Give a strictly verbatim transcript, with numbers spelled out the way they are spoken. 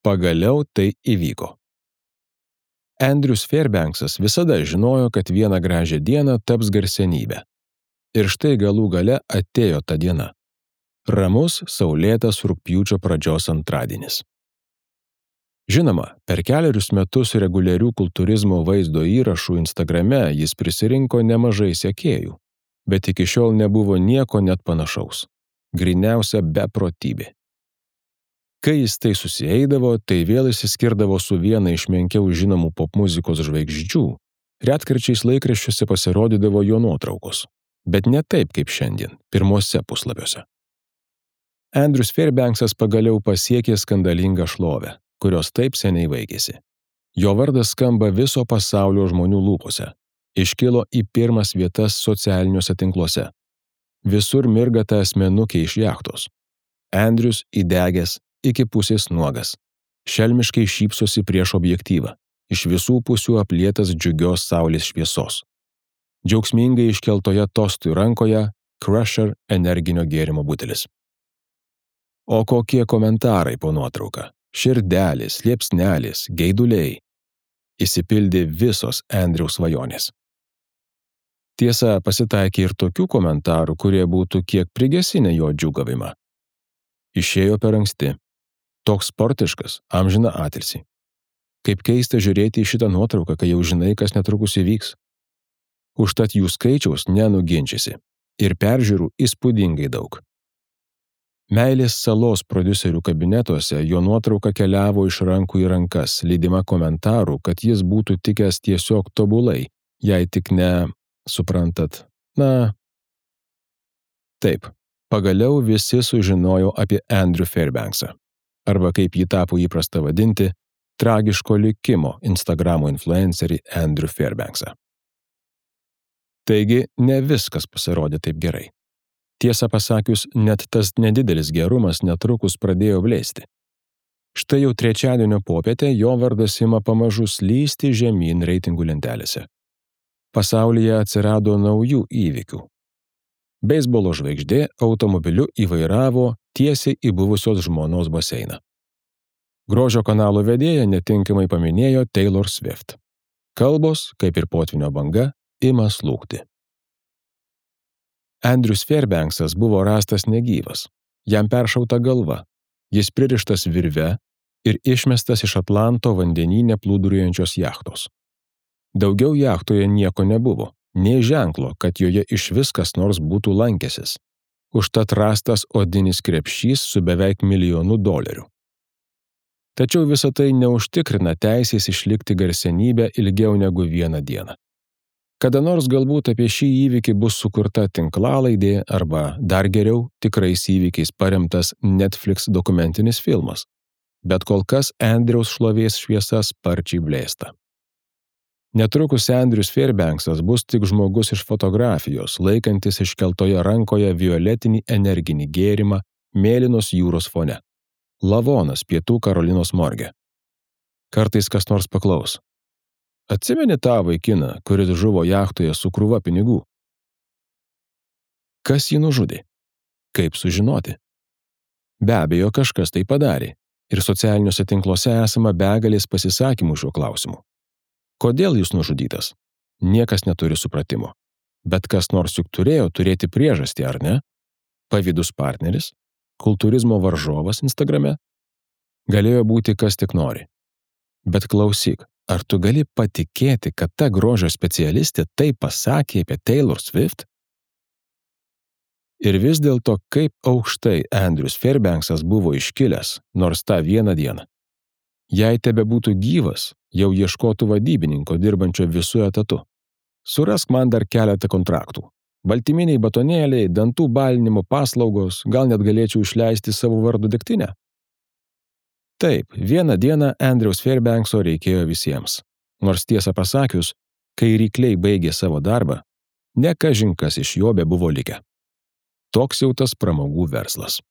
Pagaliau tai įvyko. Andrews Fairbanksas visada žinojo, kad vieną gražią dieną taps garsenybė. Ir štai galų gale atėjo ta diena. Ramus, saulėtas rugpjūčio pradžios antradienis. Žinoma, per kelerius metus reguliarių kultūrizmo vaizdo įrašų Instagrame jis prisirinko nemažai sekėjų, bet iki šiol nebuvo nieko net panašaus. Gryniausia beprotybė. Kai jis tai susieidavo, tai vėl išsiskirdavo su viena iš menkiau žinomų popmuzikos žvaigždžių, retkarčiais laikraščiuose pasirodydavo jo nuotraukos, bet ne taip kaip šiandien, pirmuose puslapiuose. Andrews Fairbanksas pagaliau pasiekė skandalingą šlovę, kurios taip seniai vaikėsi. Jo vardas skamba viso pasaulio žmonių lūpose, iškilo į pirmas vietas socialiniuose tinkluose. Visur mirga ta asmenukė iš jachtos. Andrews įdegęs iki pusės nuogas, šelmiškai šypsosi prieš objektyvą, iš visų pusių aplietas džiugios saulės šviesos. Džiaugsmingai iškeltoje tostui rankoje Crusher energinio gėrimo butelis. O kokie komentarai po nuotrauka, širdelės, liepsnelės, geiduliai. Įsipildė visos Andrews svajonės. Tiesa, pasitaikė ir tokių komentarų, kurie būtų kiek prigesinę jo džiūgavimą. Išėjo per anksti. Toks sportiškas, amžiną atilsį. Kaip keista žiūrėti į šitą nuotrauką, kai jau žinai, kas netrukus įvyks. Užtat jų skaičiaus nenuginčysi. Ir peržiūrų įspūdingai daug. Meilės salos prodiuserių kabinetuose jo nuotrauka keliavo iš rankų į rankas, lydima komentarų, kad jis būtų tikęs tiesiog tobulai, jei tik ne, suprantat, na... Taip, pagaliau visi sužinojo apie Andrew Fairbanksą, arba kaip jį tapo įprasta vadinti, tragiško likimo Instagramo influencerį Andrew Fairbanksą. Taigi, ne viskas pasirodė taip gerai. Tiesą pasakius, net tas nedidelis gerumas netrukus pradėjo blėsti. Štai jau trečiadienio popietę jo vardas ima pamažu slysti žemyn reitingų lentelėse. Pasaulyje atsirado naujų įvykių. Beisbolo žvaigždė automobiliu įvairavo tiesiai į buvusios žmonos baseiną. Grožio kanalo vedėja netinkamai paminėjo Taylor Swift. Kalbos, kaip ir potvynio banga, ima slūgti. Andrews Fairbanksas buvo rastas negyvas, jam peršauta galva, jis pririštas virve ir išmestas iš Atlanto vandenyne plūduriuojančios jachtos. Daugiau jachtoje nieko nebuvo, nė ženklo, kad joje išvis kas nors būtų lankęsis. Užtat rastas odinis krepšys su beveik milijonu dolerių. Tačiau visa tai neužtikrina teisės išlikti garsenybę ilgiau negu vieną dieną. Kada nors galbūt apie šį įvykį bus sukurta tinklalaidė arba, dar geriau, tikrais įvykiais paremtas Netflix dokumentinis filmas. Bet kol kas Andrews šlovės šviesa sparčiai blėsta. Netrukus Andrews Fairbanksas bus tik žmogus iš fotografijos, laikantis iškeltoje rankoje violetinį energinį gėrimą mėlynos jūros fone. Lavonas pietų Karolinos morge. Kartais kas nors paklaus. Atsimeni tą vaikiną, kuris žuvo jachtoje su krūva pinigų? Kas jį nužudė? Kaip sužinoti? Be abejo, kažkas tai padarė, ir socialiniuose tinkluose esama begalės pasisakymų šiuo klausimu. Kodėl jis nužudytas? Niekas neturi supratimo. Bet kas nors juk turėjo turėti priežastį, ar ne? Pavydus partneris? Kultūrizmo varžovas Instagrame? Galėjo būti kas tik nori. Bet klausyk, ar tu gali patikėti, kad ta grožio specialistė tai pasakė apie Taylor Swift? Ir vis dėlto, kaip aukštai Andrews Fairbanksas buvo iškilęs, nors tą vieną dieną. Jei tebe būtų gyvas, jau ieškotų vadybininko dirbančio visų etatų. Surask man dar keletą kontraktų. Baltyminiai batonėliai, dantų balinimo paslaugos, gal net galėčiau išleisti savo vardo degtinę? Taip, vieną dieną Andrews Fairbankso reikėjo visiems. Nors tiesą pasakius, kai rykliai baigė savo darbą, ne kažin kas iš jo bebuvo likę. Toks jau tas pramogų verslas.